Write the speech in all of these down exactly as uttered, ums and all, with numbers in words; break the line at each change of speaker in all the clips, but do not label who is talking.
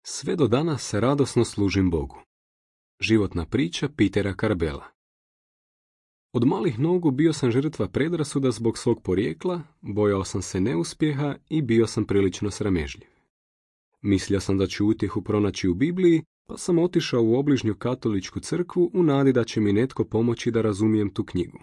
Sve do danas radosno služim Bogu. Životna priča Petera Karbela. Od malih nogu bio sam žrtva predrasuda zbog svog porijekla, bojao sam se neuspjeha i bio sam prilično sramežljiv. Mislio sam da ću utjehu pronaći u Bibliji, pa sam otišao u obližnju katoličku crkvu u nadi da će mi netko pomoći da razumijem tu knjigu.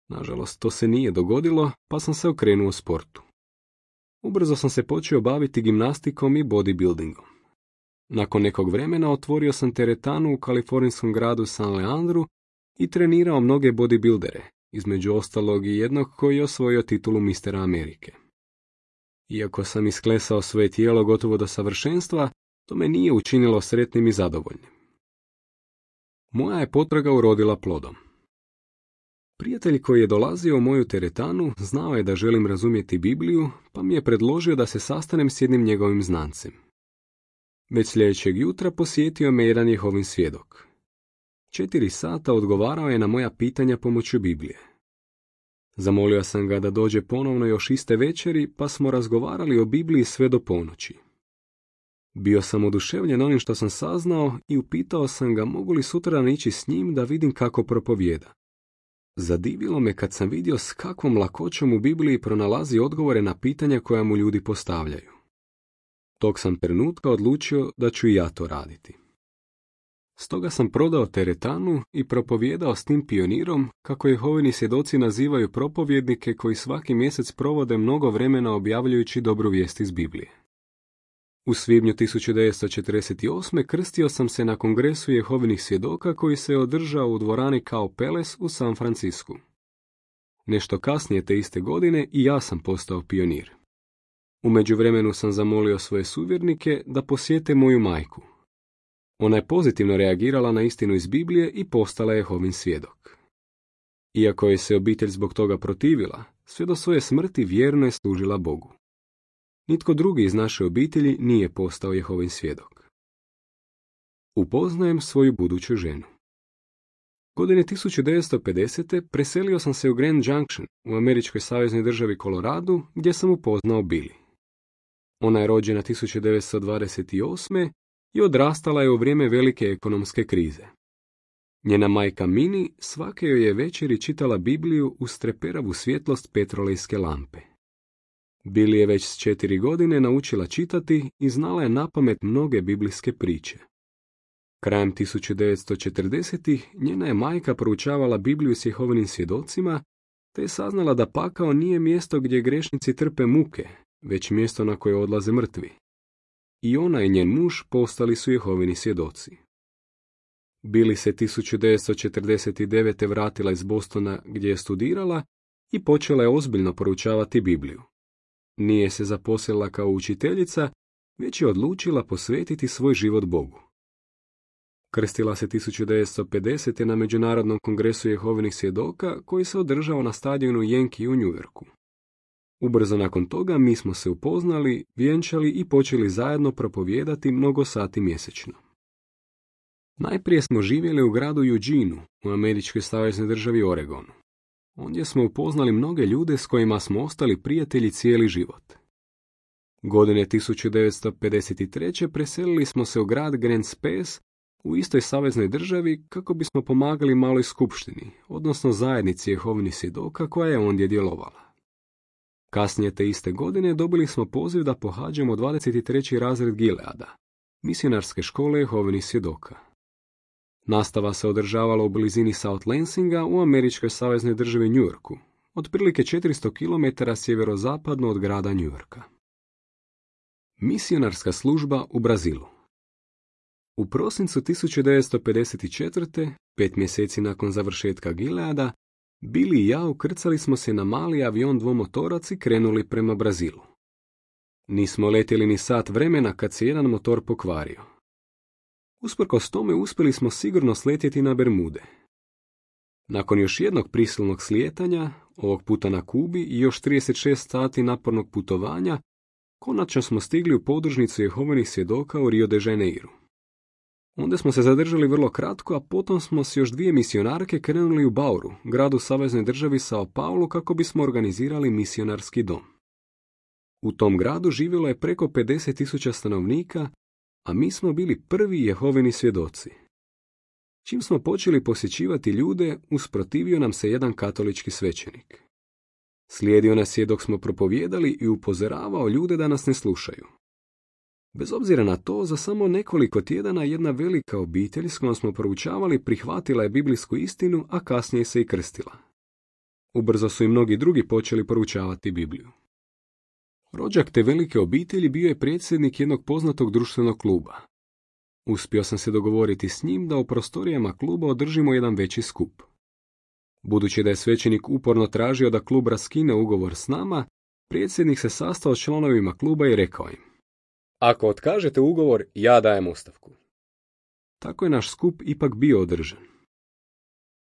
Nažalost, to se nije dogodilo, pa sam se okrenuo sportu. Ubrzo sam se počeo baviti gimnastikom i bodybuildingom. Nakon nekog vremena otvorio sam teretanu u kalifornijskom gradu San Leandru i trenirao mnoge bodybuildere, između ostalog i jednog koji je osvojio titulu mistera Amerike. Iako sam isklesao svoje tijelo gotovo do savršenstva, to me nije učinilo sretnim i zadovoljnim. Moja je potraga urodila plodom. Prijatelj koji je dolazio u moju teretanu znao je da želim razumjeti Bibliju, pa mi je predložio da se sastanem s jednim njegovim znancem. Već sljedećeg jutra posjetio me jedan Jehovin svjedok. Četiri sata odgovarao je na moja pitanja pomoću Biblije. Zamolio sam ga da dođe ponovno još iste večeri, pa smo razgovarali o Bibliji sve do ponoći. Bio sam oduševljen onim što sam saznao i upitao sam ga mogu li sutradan ići s njim da vidim kako propovijeda. Zadivilo me kad sam vidio s kakvom lakoćom u Bibliji pronalazi odgovore na pitanja koja mu ljudi postavljaju. Tog sam trenutka odlučio da ću i ja to raditi. Stoga sam prodao teretanu i propovijedao s tim pionirom, kako Jehovini svjedoci nazivaju propovjednike koji svaki mjesec provode mnogo vremena objavljujući dobru vijest iz Biblije. U svibnju tisuću devetsto četrdeset osme krstio sam se na kongresu Jehovinih svjedoka koji se održao u dvorani Cow Palace u San Francisku. Nešto kasnije te iste godine i ja sam postao pionir. U međuvremenu sam zamolio svoje suvjernike da posjete moju majku. Ona je pozitivno reagirala na istinu iz Biblije i postala Jehovin svjedok. Iako je se obitelj zbog toga protivila, sve do svoje smrti vjerno je služila Bogu. Nitko drugi iz naše obitelji nije postao Jehovin svjedok. Upoznajem svoju buduću ženu. Godine tisuću devetsto pedesete preselio sam se u Grand Junction u američkoj saveznoj državi Koloradu gdje sam upoznao Billy. Ona je rođena tisuću devetsto dvadeset osme i odrastala je u vrijeme velike ekonomske krize. Njena majka Mini svake joj je večeri čitala Bibliju uz treperavu svjetlost petrolejske lampe. Billy je već s četiri godine naučila čitati i znala je napamet mnoge biblijske priče. Krajem tisuću devetsto četrdesetih njena je majka proučavala Bibliju s Jehovinim svjedocima, te je saznala da pakao nije mjesto gdje grešnici trpe muke, već mjesto na koje odlaze mrtvi. I ona i njen muž postali su Jehovini svjedoci. Billy se tisuću devetsto četrdeset devete vratila iz Bostona gdje je studirala i počela je ozbiljno proučavati Bibliju. Nije se zaposlila kao učiteljica, već je odlučila posvetiti svoj život Bogu. Krstila se tisuću devetsto pedesete na Međunarodnom kongresu Jehovinih svjedoka koji se održao na stadionu Yankee u New Yorku. Ubrzo nakon toga mi smo se upoznali, vjenčali i počeli zajedno propovijedati mnogo sati mjesečno. Najprije smo živjeli u gradu Eugeneu u američkoj saveznoj državi Oregonu. Ondje smo upoznali mnoge ljude s kojima smo ostali prijatelji cijeli život. Godine tisuću devetsto pedeset treće preselili smo se u grad Grand Space u istoj saveznoj državi kako bismo pomagali maloj skupštini, odnosno zajednici Jehovinih svjedoka koja je ondje djelovala. Kasnije te iste godine dobili smo poziv da pohađamo dvadeset treći razred Gileada, misionarske škole Jehovinih svjedoka. Nastava se održavala u blizini South Lansinga u američkoj saveznoj državi New Yorku, otprilike četiristo kilometara sjeverozapadno od grada New Yorka. Misionarska služba u Brazilu. U prosincu tisuću devetsto pedeset četvrte, pet mjeseci nakon završetka Gileada, Billy i ja ukrcali smo se na mali avion dvomotorac i krenuli prema Brazilu. Nismo letjeli ni sat vremena kad se jedan motor pokvario. Usprkos tome uspjeli smo sigurno sletjeti na Bermude. Nakon još jednog prisilnog slijetanja, ovog puta na Kubi i još trideset šest sati napornog putovanja, konačno smo stigli u podružnicu Jehovinih svjedoka u Rio de Janeiru. Onda smo se zadržali vrlo kratko, a potom smo s još dvije misionarke krenuli u Bauru, gradu saveznoj državi Sao Paulo, kako bismo organizirali misionarski dom. U tom gradu živjelo je preko pedeset tisuća stanovnika, a mi smo bili prvi Jehovini svjedoci. Čim smo počeli posjećivati ljude, usprotivio nam se jedan katolički svećenik. Slijedio nas je dok smo propovijedali i upozoravao ljude da nas ne slušaju. Bez obzira na to, za samo nekoliko tjedana jedna velika obitelj s kojom smo proučavali prihvatila je biblijsku istinu, a kasnije se i krstila. Ubrzo su i mnogi drugi počeli proučavati Bibliju. Rođak te velike obitelji bio je predsjednik jednog poznatog društvenog kluba. Uspio sam se dogovoriti s njim da u prostorijama kluba održimo jedan veći skup. Budući da je svećenik uporno tražio da klub raskine ugovor s nama, predsjednik se sastao s članovima kluba i rekao im: Ako otkažete ugovor, ja dajem ostavku. Tako je naš skup ipak bio održan.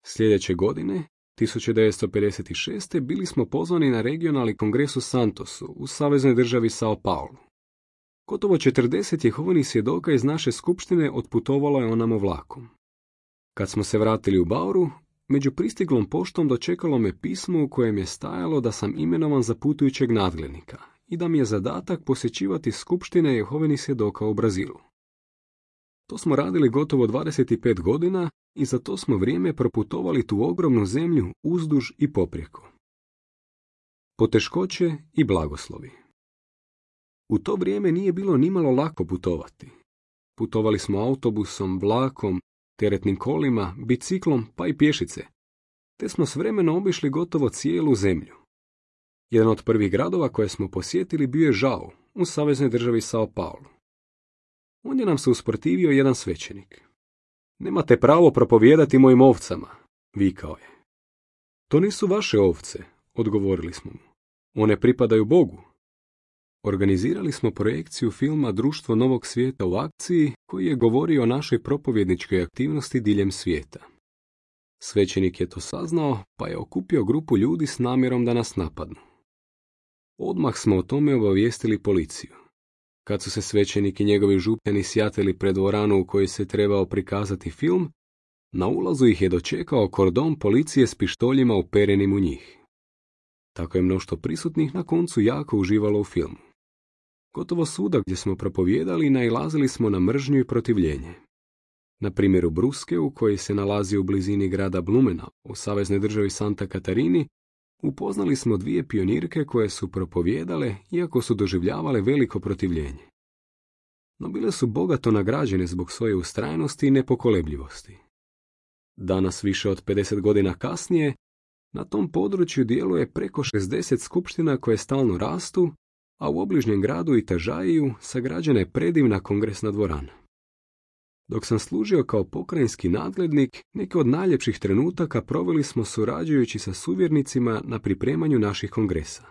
Sljedeće godine, tisuću devetsto pedeset šeste. bili smo pozvani na regionalni kongres u Santosu, u saveznoj državi Sao Paulo. Gotovo četrdeset Jehovinih svjedoka iz naše skupštine otputovalo je onamo vlakom. Kad smo se vratili u Bauru, među pristiglom poštom dočekalo me pismo u kojem je stajalo da sam imenovan za putujućeg nadglednika i da mi je zadatak posjećivati skupštine Jehovinih svjedoka u Brazilu. To smo radili gotovo dvadeset pet godina i za to smo vrijeme proputovali tu ogromnu zemlju uzduž i poprijeko. Poteškoće i blagoslovi. U to vrijeme nije bilo nimalo lako putovati. Putovali smo autobusom, vlakom, teretnim kolima, biciklom pa i pješice, te smo s vremenom obišli gotovo cijelu zemlju. Jedan od prvih gradova koje smo posjetili bio je Žao, u saveznoj državi Sao Paulo. Ondje nam se usprotivio jedan svećenik. Nemate pravo propovijedati mojim ovcama, vikao je. To nisu vaše ovce, odgovorili smo mu. One pripadaju Bogu. Organizirali smo projekciju filma Društvo novog svijeta u akciji, koji je govorio o našoj propovjedničkoj aktivnosti diljem svijeta. Svećenik je to saznao, pa je okupio grupu ljudi s namjerom da nas napadnu. Odmah smo o tome obavijestili policiju. Kad su se svećenik i njegovi župljani sjatili pred dvoranu u kojoj se trebao prikazati film, na ulazu ih je dočekao kordon policije s pištoljima uperenim u njih. Tako je mnoštvo prisutnih na koncu jako uživalo u filmu. Gotovo svuda gdje smo propovijedali nailazili smo na mržnju i protivljenje. Na primjer u Bruskeu, koji se nalazi u blizini grada Blumena, u saveznoj državi Santa Katarini, upoznali smo dvije pionirke koje su propovijedale, iako su doživljavale veliko protivljenje. No bile su bogato nagrađene zbog svoje ustrajnosti i nepokolebljivosti. Danas, više od pedeset godina kasnije, na tom području djeluje preko šezdeset skupština koje stalno rastu, a u obližnjem gradu Itažaiju sagrađena je predivna kongresna dvorana. Dok sam služio kao pokrajinski nadglednik, neke od najljepših trenutaka proveli smo surađujući sa suvjernicima na pripremanju naših kongresa.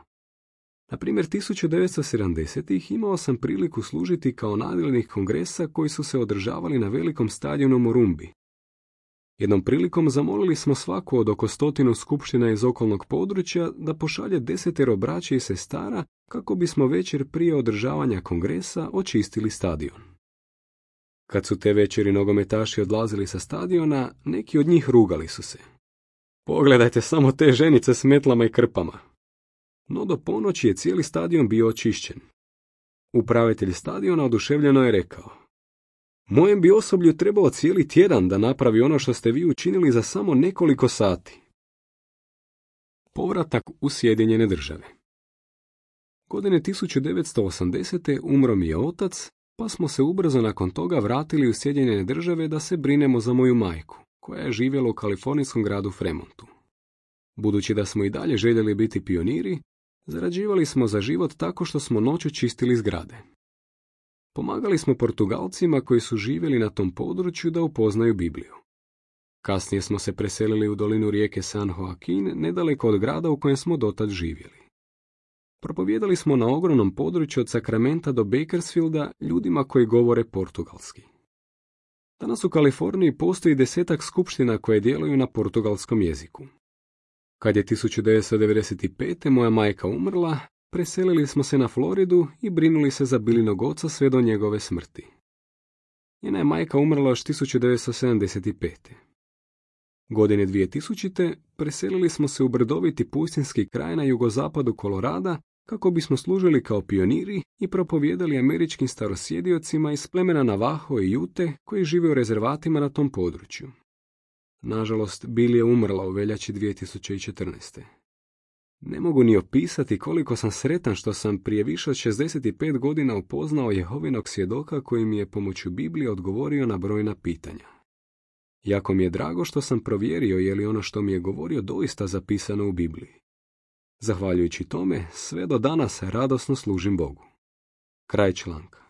Na primjer, tisuću devetsto sedamdesetih. imao sam priliku služiti kao nadglednik kongresa koji su se održavali na velikom stadionu Morumbi. Jednom prilikom zamolili smo svaku od oko stotinu skupština iz okolnog područja da pošalje desetero braće i sestara kako bismo večer prije održavanja kongresa očistili stadion. Kad su te večeri nogometaši odlazili sa stadiona, neki od njih rugali su se. Pogledajte samo te ženice s metlama i krpama. No do ponoći je cijeli stadion bio očišćen. Upravitelj stadiona oduševljeno je rekao: Mojem bi osoblju trebao cijeli tjedan da napravi ono što ste vi učinili za samo nekoliko sati. Povratak u Sjedinjene Države. Godine tisuću devetsto osamdesete. umro mi je otac, pa smo se ubrzo nakon toga vratili u Sjedinjene Države da se brinemo za moju majku, koja je živjela u kalifornijskom gradu Fremontu. Budući da smo i dalje željeli biti pioniri, zarađivali smo za život tako što smo noću čistili zgrade. Pomagali smo Portugalcima koji su živjeli na tom području da upoznaju Bibliju. Kasnije smo se preselili u dolinu rijeke San Joaquin, nedaleko od grada u kojem smo dotad živjeli. Propovijedali smo na ogromnom području od Sakramenta do Bakersfielda ljudima koji govore portugalski. Danas u Kaliforniji postoji desetak skupština koje djeluju na portugalskom jeziku. Kad je tisuću devetsto devedeset pete. moja majka umrla, preselili smo se na Floridu i brinuli se za Bilinog oca sve do njegove smrti. Njena je majka umrla još tisuću devetsto sedamdeset pete. Godine dvije tisućite. preselili smo se u brdoviti pustinski kraj na jugozapadu Kolorada kako bismo služili kao pioniri i propovijedali američkim starosjediocima iz plemena Navaho i Jute koji žive u rezervatima na tom području. Nažalost, Bill je umrla u veljači dvije tisuće četrnaeste. Ne mogu ni opisati koliko sam sretan što sam prije više od šezdeset pet godina upoznao Jehovinog svjedoka koji mi je pomoću Biblije odgovorio na brojna pitanja. Jako mi je drago što sam provjerio je li ono što mi je govorio doista zapisano u Bibliji. Zahvaljujući tome, sve do danas radosno služim Bogu. Kraj članka.